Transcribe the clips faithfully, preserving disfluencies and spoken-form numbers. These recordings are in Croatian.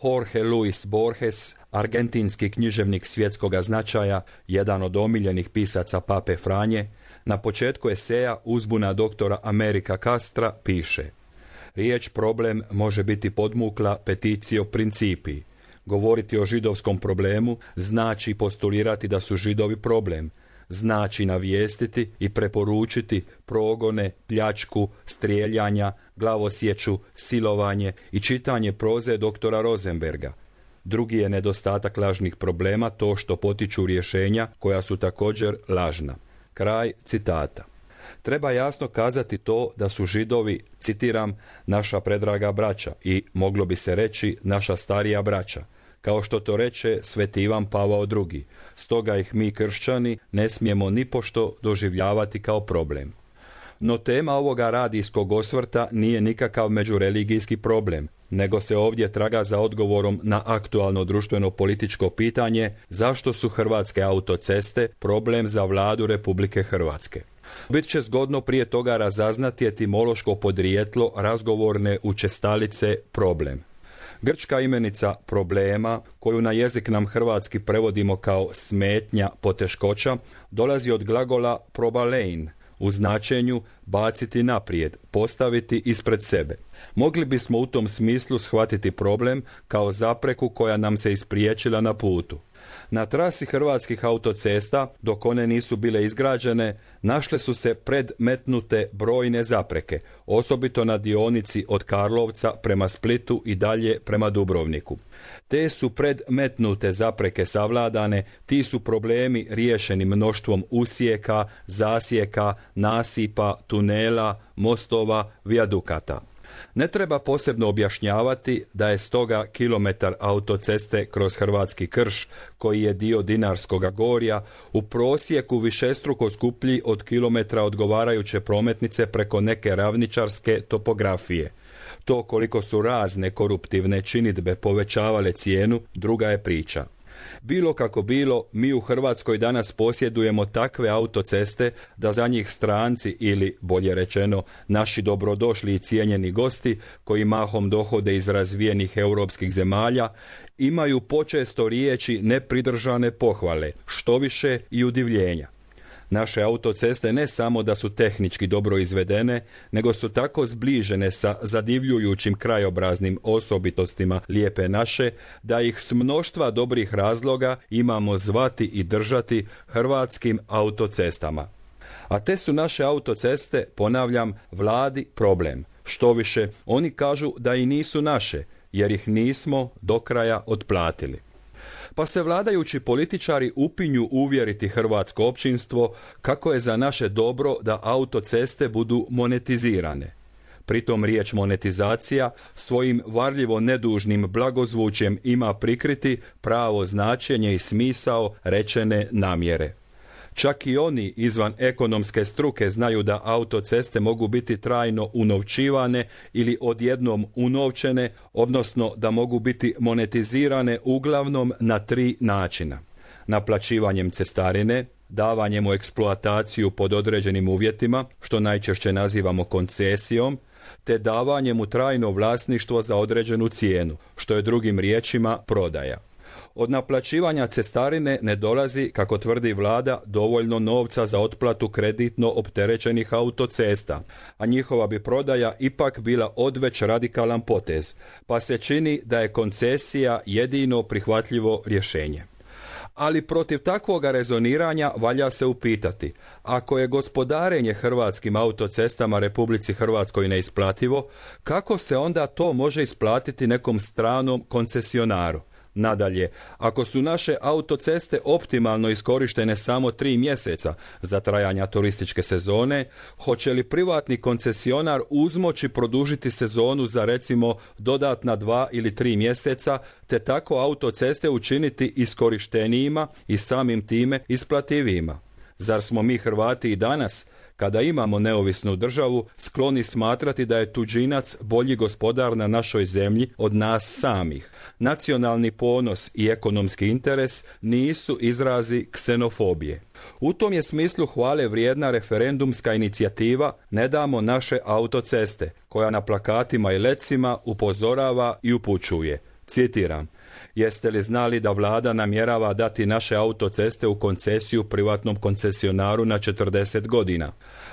Jorge Luis Borges, argentinski književnik svjetskoga značaja, jedan od omiljenih pisaca Pape Franje, na početku eseja Uzbuna doktora Amerika Castra piše: riječ problem može biti podmukla peticio principi. Govoriti o židovskom problemu znači postulirati da su Židovi problem, znači navijestiti i preporučiti progone, pljačku, strijeljanja, glavosječu, silovanje i čitanje proze doktora Rosenberga. Drugi je nedostatak lažnih problema to što potiču rješenja koja su također lažna. Kraj citata. Treba jasno kazati to da su Židovi, citiram, naša predraga braća i, moglo bi se reći, naša starija braća, kao što to reče sveti Ivan Pavao drugi. Stoga ih mi kršćani ne smijemo nipošto doživljavati kao problem. No tema ovoga radijskog osvrta nije nikakav međureligijski problem, nego se ovdje traga za odgovorom na aktualno društveno-političko pitanje zašto su hrvatske autoceste problem za vladu Republike Hrvatske. Bit će zgodno prije toga razaznati etimološko podrijetlo razgovorne učestalice problem. Grčka imenica problema, koju na jezik nam hrvatski prevodimo kao smetnja, poteškoća, dolazi od glagola probalein, u značenju baciti naprijed, postaviti ispred sebe. Mogli bismo u tom smislu shvatiti problem kao zapreku koja nam se ispriječila na putu. Na trasi hrvatskih autocesta, dok one nisu bile izgrađene, našle su se predmetnute brojne zapreke, osobito na dionici od Karlovca prema Splitu i dalje prema Dubrovniku. Te su predmetnute zapreke savladane, ti su problemi riješeni mnoštvom usijeka, zasijeka, nasipa, tunela, mostova, vijadukata. Ne treba posebno objašnjavati da je stoga kilometar autoceste kroz hrvatski krš, koji je dio Dinarskoga gorja, u prosjeku višestruko skuplji od kilometra odgovarajuće prometnice preko neke ravničarske topografije. To koliko su razne koruptivne činidbe povećavale cijenu, druga je priča. Bilo kako bilo, mi u Hrvatskoj danas posjedujemo takve autoceste da za njih stranci ili, bolje rečeno, naši dobrodošli i cijenjeni gosti, koji mahom dohode iz razvijenih europskih zemalja, imaju počesto riječi nepridržane pohvale, štoviše i udivljenja. Naše autoceste ne samo da su tehnički dobro izvedene, nego su tako zbližene sa zadivljujućim krajobraznim osobitostima lijepe naše, da ih s mnoštva dobrih razloga imamo zvati i držati hrvatskim autocestama. A te su naše autoceste, ponavljam, vladi problem. Štoviše, oni kažu da i nisu naše, jer ih nismo do kraja otplatili. Pa se vladajući političari upinju uvjeriti hrvatsko općinstvo kako je za naše dobro da autoceste budu monetizirane. Pritom riječ monetizacija svojim varljivo nedužnim blagozvučjem ima prikriti pravo značenje i smisao rečene namjere. Čak i oni izvan ekonomske struke znaju da autoceste mogu biti trajno unovčivane ili odjednom unovčene, odnosno da mogu biti monetizirane uglavnom na tri načina. Naplaćivanjem cestarine, davanjem u eksploataciju pod određenim uvjetima, što najčešće nazivamo koncesijom, te davanjem u trajno vlasništvo za određenu cijenu, što je drugim riječima prodaja. Od naplaćivanja cestarine ne dolazi, kako tvrdi vlada, dovoljno novca za otplatu kreditno opterećenih autocesta, a njihova bi prodaja ipak bila odveć radikalan potez, pa se čini da je koncesija jedino prihvatljivo rješenje. Ali protiv takvoga rezoniranja valja se upitati, ako je gospodarenje hrvatskim autocestama Republici Hrvatskoj neisplativo, kako se onda to može isplatiti nekom stranom koncesionaru? Nadalje, ako su naše autoceste optimalno iskorištene samo tri mjeseca za trajanja turističke sezone, hoće li privatni koncesionar uzmoći produžiti sezonu za recimo dodatna dva ili tri mjeseca, te tako autoceste učiniti iskorištenijima i samim time isplativijima? Zar smo mi Hrvati i danas, kada imamo neovisnu državu, skloni smatrati da je tuđinac bolji gospodar na našoj zemlji od nas samih? Nacionalni ponos i ekonomski interes nisu izrazi ksenofobije. U tom je smislu hvale vrijedna referendumska inicijativa Ne damo naše autoceste, koja na plakatima i lecima upozorava i upućuje: Citiram: jeste li znali da vlada namjerava dati naše autoceste u koncesiju privatnom koncesionaru na četrdeset godina?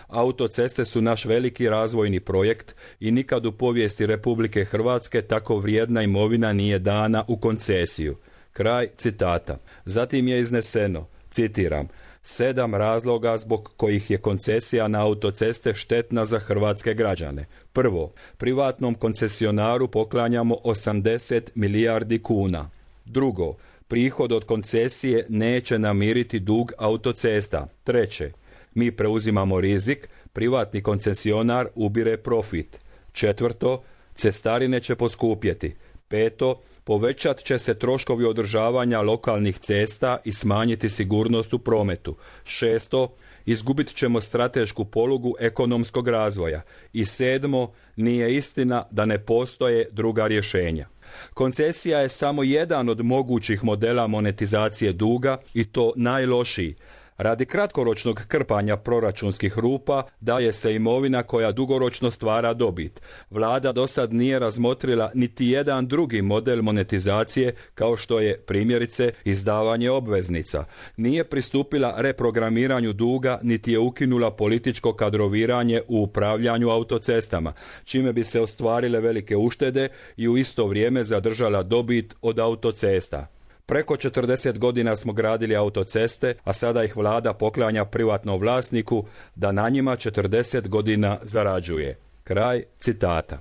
Autoceste su naš veliki razvojni projekt i nikad u povijesti Republike Hrvatske tako vrijedna imovina nije dana u koncesiju. Kraj citata. Zatim je izneseno, citiram: sedam razloga zbog kojih je koncesija na autoceste štetna za hrvatske građane. Prvo, privatnom koncesionaru poklanjamo osamdeset milijardi kuna. Drugo, prihod od koncesije neće namiriti dug autocesta. Treće, mi preuzimamo rizik, privatni koncesionar ubire profit. Četvrto, cestarine će poskupjeti. Peto, povećat će se troškovi održavanja lokalnih cesta i smanjiti sigurnost u prometu. Šesto, izgubit ćemo stratešku polugu ekonomskog razvoja. I sedmo, nije istina da ne postoje druga rješenja. Koncesija je samo jedan od mogućih modela monetizacije duga i to najlošiji. Radi kratkoročnog krpanja proračunskih rupa daje se imovina koja dugoročno stvara dobit. Vlada do sad nije razmotrila niti jedan drugi model monetizacije kao što je primjerice izdavanje obveznica. Nije pristupila reprogramiranju duga niti je ukinula političko kadroviranje u upravljanju autocestama, čime bi se ostvarile velike uštede i u isto vrijeme zadržala dobit od autocesta. Preko četrdeset godina smo gradili autoceste, a sada ih vlada poklanja privatnom vlasniku da na njima četrdeset godina zarađuje. Kraj citata.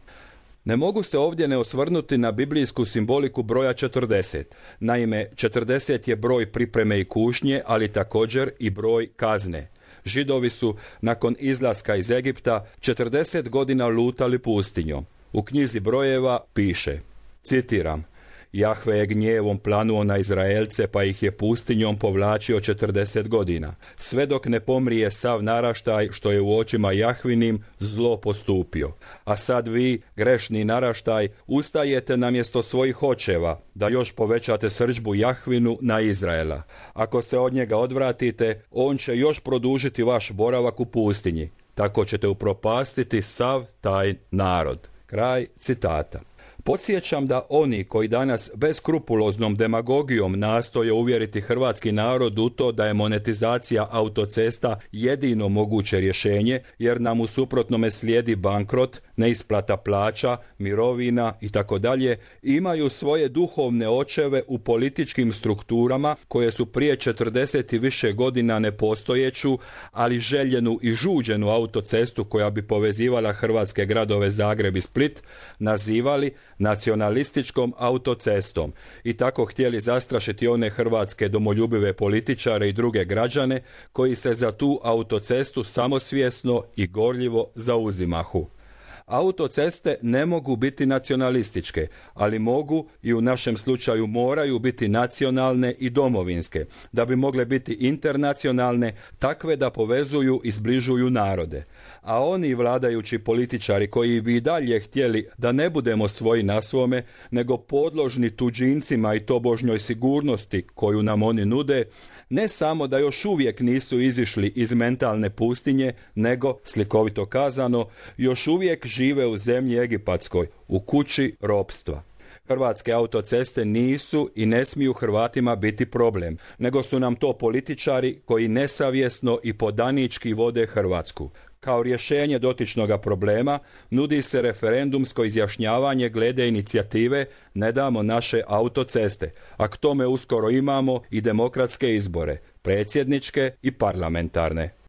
Ne mogu se ovdje ne osvrnuti na biblijsku simboliku broja četrdeset. Naime, četrdeset je broj pripreme i kušnje, ali također i broj kazne. Židovi su nakon izlaska iz Egipta četrdeset godina lutali pustinjom. U knjizi brojeva piše, citiram: Jahve je gnjevom planuo na Izraelce, pa ih je pustinjom povlačio četrdeset godina, sve dok ne pomrije sav naraštaj što je u očima Jahvinim zlo postupio. A sad vi, grešni naraštaj, ustajete na mjesto svojih očeva, da još povećate srdžbu Jahvinu na Izraela. Ako se od njega odvratite, on će još produžiti vaš boravak u pustinji. Tako ćete upropastiti sav taj narod. Kraj citata. Podsjećam da oni koji danas beskrupuloznom demagogijom nastoje uvjeriti hrvatski narod u to da je monetizacija autocesta jedino moguće rješenje, jer nam u suprotnome slijedi bankrot, neisplata plaća, mirovina itd., imaju svoje duhovne očeve u političkim strukturama koje su prije četrdeset i više godina nepostojeću, ali željenu i žuđenu autocestu koja bi povezivala hrvatske gradove Zagreb i Split nazivali nacionalističkom autocestom i tako htjeli zastrašiti one hrvatske domoljubive političare i druge građane koji se za tu autocestu samosvjesno i gorljivo zauzimahu. Autoceste ne mogu biti nacionalističke, ali mogu i u našem slučaju moraju biti nacionalne i domovinske, da bi mogle biti internacionalne, takve da povezuju i zbližuju narode. A oni vladajući političari koji bi i dalje htjeli da ne budemo svoji na svome, nego podložni tuđincima i tobožnjoj sigurnosti koju nam oni nude, ne samo da još uvijek nisu izišli iz mentalne pustinje, nego, slikovito kazano, još uvijek žive u zemlji egipatskoj, u kući ropstva. Hrvatske autoceste nisu i ne smiju Hrvatima biti problem, nego su nam to političari koji nesavjesno i podanički vode Hrvatsku. Kao rješenje dotičnoga problema nudi se referendumsko izjašnjavanje glede inicijative Ne damo naše autoceste, a k tome uskoro imamo i demokratske izbore, predsjedničke i parlamentarne.